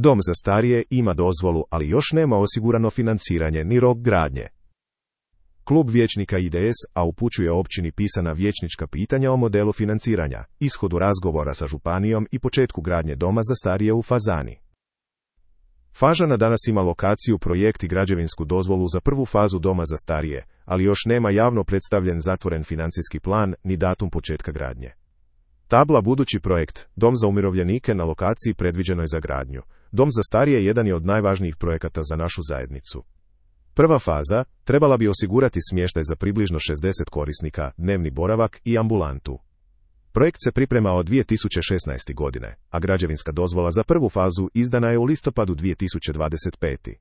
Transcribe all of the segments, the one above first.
Dom za starije ima dozvolu, ali još nema osigurano financiranje ni rok gradnje. Klub vijećnika IDS-a upućuje općini pisana vijećnička pitanja o modelu financiranja, ishodu razgovora sa županijom i početku gradnje doma za starije u Fazani. Fažana danas ima lokaciju, projekt i građevinsku dozvolu za prvu fazu doma za starije, ali još nema javno predstavljen zatvoren financijski plan ni datum početka gradnje. Tabla budući projekt, dom za umirovljenike na lokaciji predviđenoj za gradnju. Dom za starije jedan je od najvažnijih projekata za našu zajednicu. Prva faza trebala bi osigurati smještaj za približno 60 korisnika, dnevni boravak i ambulantu. Projekt se priprema od 2016. godine, a građevinska dozvola za prvu fazu izdana je u listopadu 2025.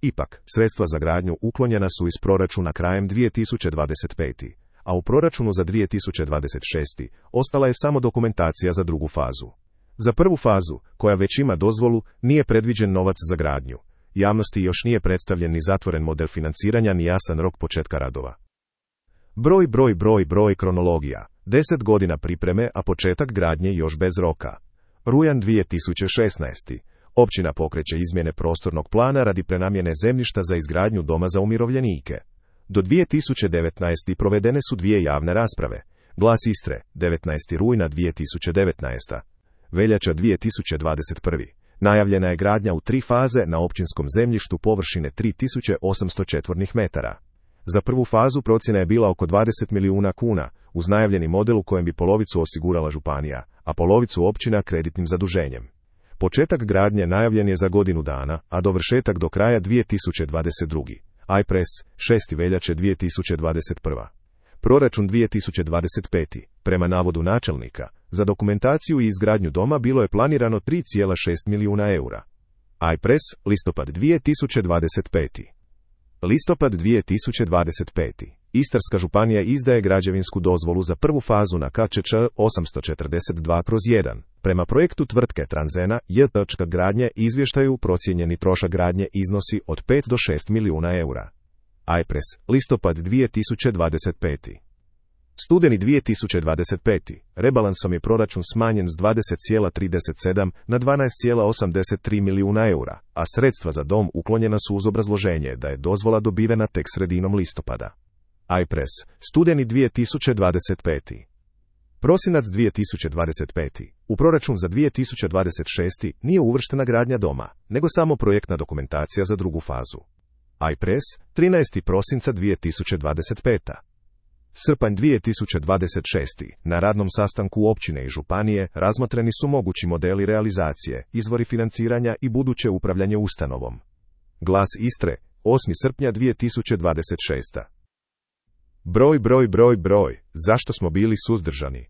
Ipak, sredstva za gradnju uklonjena su iz proračuna krajem 2025. a u proračunu za 2026. ostala je samo dokumentacija za drugu fazu. Za prvu fazu, koja već ima dozvolu, nije predviđen novac za gradnju. Javnosti još nije predstavljen ni zatvoren model financiranja ni jasan rok početka radova. Broj, kronologija. 10 godina pripreme, a početak gradnje još bez roka. Rujan 2016. Općina pokreće izmjene prostornog plana radi prenamjene zemljišta za izgradnju doma za umirovljenike. Do 2019. provedene su 2 javne rasprave. Glas Istre, 19. rujna 2019. Veljača 2021. Najavljena je gradnja u 3 faze na općinskom zemljištu površine 3800 četvornih metara. Za prvu fazu procjena je bila oko 20 milijuna kuna, uz najavljeni model u kojem bi polovicu osigurala županija, a polovicu općina kreditnim zaduženjem. Početak gradnje najavljen je za godinu dana, a dovršetak do kraja 2022. iPress, 6. veljače 2021. Proračun 2025. Prema navodu načelnika, za dokumentaciju i izgradnju doma bilo je planirano 3,6 milijuna eura. iPress, listopad 2025. Listopad 2025. Istarska županija izdaje građevinsku dozvolu za prvu fazu na KČČ 842/1. Prema projektu tvrtke Transena, gradnje izvještaju procijenjeni trošak gradnje iznosi od 5 do 6 milijuna eura. iPress, listopad 2025. Studeni 2025. Rebalansom je proračun smanjen s 20,37 na 12,83 milijuna eura, a sredstva za dom uklonjena su uz obrazloženje da je dozvola dobivena tek sredinom listopada. iPress, studeni 2025. Prosinac 2025. U proračun za 2026. nije uvrštena gradnja doma, nego samo projektna dokumentacija za drugu fazu. iPress, 13. prosinca 2025. Srpanj 2026. Na radnom sastanku općine i županije razmotreni su mogući modeli realizacije, izvori financiranja i buduće upravljanje ustanovom. Glas Istre, 8. srpnja 2026. Broj. Zašto smo bili suzdržani?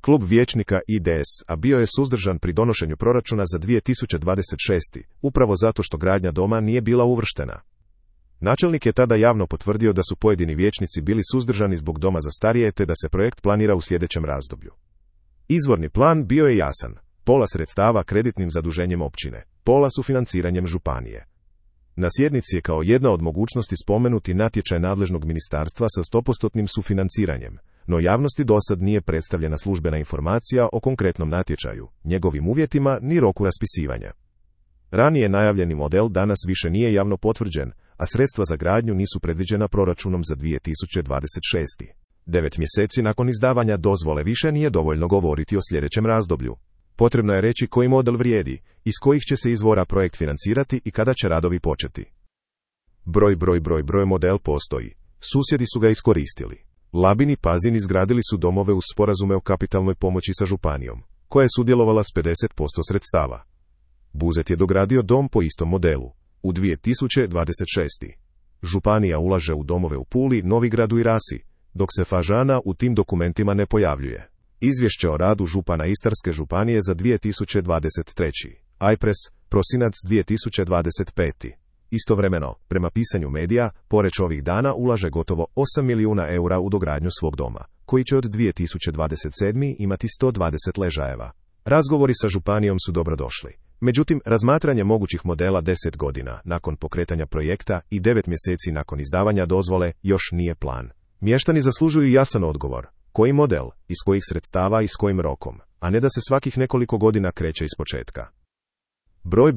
Klub vijećnika IDS-a bio je suzdržan pri donošenju proračuna za 2026. upravo zato što gradnja doma nije bila uvrštena. Načelnik je tada javno potvrdio da su pojedini vijećnici bili suzdržani zbog doma za starije te da se projekt planira u sljedećem razdoblju. Izvorni plan bio je jasan, pola sredstava kreditnim zaduženjem općine, pola sufinanciranjem županije. Na sjednici je kao jedna od mogućnosti spomenuti natječaj nadležnog ministarstva sa 100% sufinanciranjem, no javnosti dosad nije predstavljena službena informacija o konkretnom natječaju, njegovim uvjetima ni roku raspisivanja. Ranije najavljeni model danas više nije javno potvrđen, a sredstva za gradnju nisu predviđena proračunom za 2026. 9 mjeseci nakon izdavanja dozvole više nije dovoljno govoriti o sljedećem razdoblju. Potrebno je reći koji model vrijedi, iz kojih će se izvora projekt financirati i kada će radovi početi. Broj model postoji. Susjedi su ga iskoristili. Labin i Pazin izgradili su domove uz sporazume o kapitalnoj pomoći sa županijom, koja je sudjelovala s 50% sredstava. Buzet je dogradio dom po istom modelu. U 2026. Županija ulaže u domove u Puli, Novigradu i Rasi, dok se Fažana u tim dokumentima ne pojavljuje. Izvješće o radu župana Istarske županije za 2023. iPress, prosinac 2025. Istovremeno, prema pisanju medija, Poreč ovih dana ulaže gotovo 8 milijuna eura u dogradnju svog doma, koji će od 2027. imati 120 ležajeva. Razgovori sa županijom su dobrodošli. Međutim, razmatranje mogućih modela 10 godina nakon pokretanja projekta i 9 mjeseci nakon izdavanja dozvole još nije plan. Mještani zaslužuju jasan odgovor. Koji model, iz kojih sredstava i s kojim rokom, a ne da se svakih nekoliko godina kreće iz početka. Broj,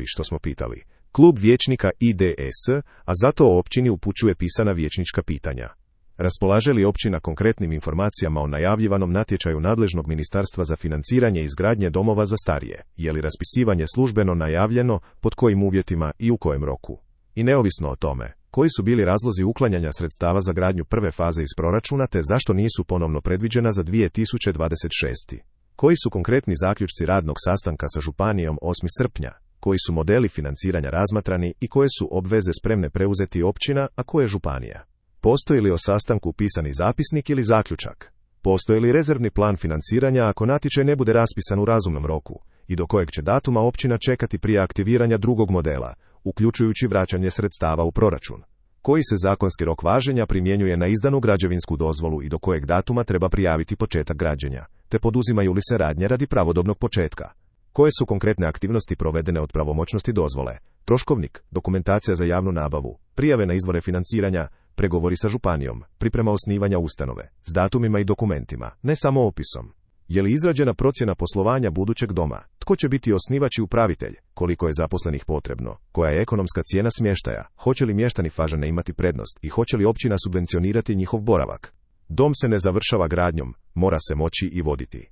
što smo pitali. Klub vijećnika IDS, a zato općini upućuje pisana vijećnička pitanja. Raspolaže li općina konkretnim informacijama o najavljivanom natječaju nadležnog ministarstva za financiranje izgradnje domova za starije? Je li raspisivanje službeno najavljeno, pod kojim uvjetima i u kojem roku? I neovisno o tome, koji su bili razlozi uklanjanja sredstava za gradnju prve faze iz proračuna te zašto nisu ponovno predviđena za 2026. Koji su konkretni zaključci radnog sastanka sa županijom 8. srpnja? Koji su modeli financiranja razmatrani i koje su obveze spremne preuzeti općina, a koje županija? Postoji li o sastanku pisani zapisnik ili zaključak? Postoji li rezervni plan financiranja ako natječaj ne bude raspisan u razumnom roku i do kojeg će datuma općina čekati prije aktiviranja drugog modela, uključujući vraćanje sredstava u proračun? Koji se zakonski rok važenja primjenjuje na izdanu građevinsku dozvolu i do kojeg datuma treba prijaviti početak građenja, te poduzimaju li se radnje radi pravodobnog početka? Koje su konkretne aktivnosti provedene od pravomoćnosti dozvole, troškovnik, dokumentacija za javnu nabavu, prijave na izvore financiranja, pregovori sa županijom, priprema osnivanja ustanove, s datumima i dokumentima, ne samo opisom? Je li izrađena procjena poslovanja budućeg doma? Tko će biti osnivač i upravitelj? Koliko je zaposlenih potrebno? Koja je ekonomska cijena smještaja? Hoće li mještani Fažane imati prednost i hoće li općina subvencionirati njihov boravak? Dom se ne završava gradnjom, mora se moći i voditi.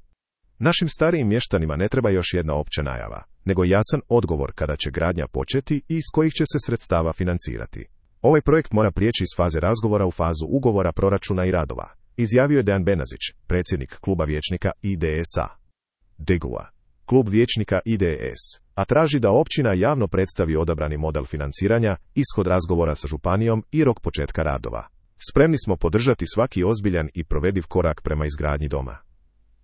Našim starijim mještanima ne treba još jedna opća najava, nego jasan odgovor kada će gradnja početi i iz kojih će se sredstava financirati. Ovaj projekt mora prijeći iz faze razgovora u fazu ugovora proračuna i radova, izjavio je Dejan Benazić, predsjednik kluba vijećnika IDS-a. DGUA. Klub vijećnika IDS, a traži da općina javno predstavi odabrani model financiranja, ishod razgovora sa županijom i rok početka radova. Spremni smo podržati svaki ozbiljan i provediv korak prema izgradnji doma.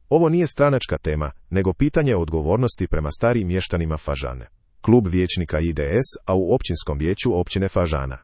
Ovo nije stranačka tema, nego pitanje odgovornosti prema starijim mještanima Fažane. Klub vijećnika IDS, a u općinskom vijeću općine Fažana.